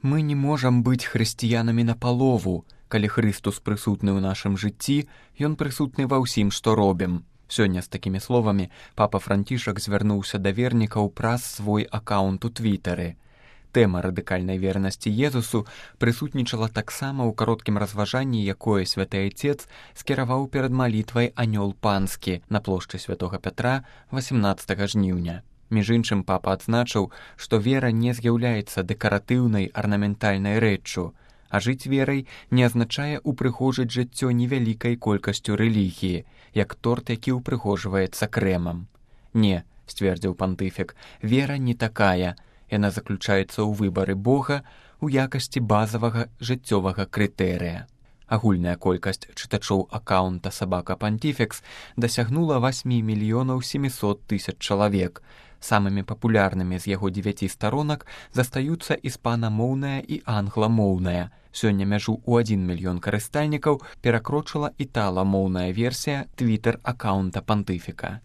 Мы не можам быць хрысціянамі напалову. Калі Хрыстус прысутны ў нашым жыцці, ён прысутны ва ўсім, што робім. Сёння з такімі словамі папа Францішак звярнуўся да вернікаў праз свой акаунт у Твітары. Тэма радыкальнай вернасці Езусу прысутнічала таксама ў кароткім разважанні, якое святы айцец скіраваў перад малітвай «Анёл панскі» на плошчы святога Пятра 18 жніўня. Між іншым, папа адзначыў, што вера не з'яўляецца дэкаратыўнай арнаментальнай рэччу, а жыць верай не азначае упрыгожыць жыццё невялікай колькасцю рэлігіі, як торт, які упрыгожваецца крэмам. Не, сцвердзіў пантыфік, вера не такая. Яна заключаецца ў выбары Бога ў якасці базавага жыццёвага крытэрыя. Агульная колькасць чытачоў акаунта «Сабака Пантифекс» дасягнула 8 700 000 чалавек. Самымі папулярнымі з яго 9 старонак застаюцца іспанамоўная і англамоўная. Сёння мяжу ў 1 мільён карыстальнікаў перакрочыла італамоўная версія твітер-акаунта пантыфіка.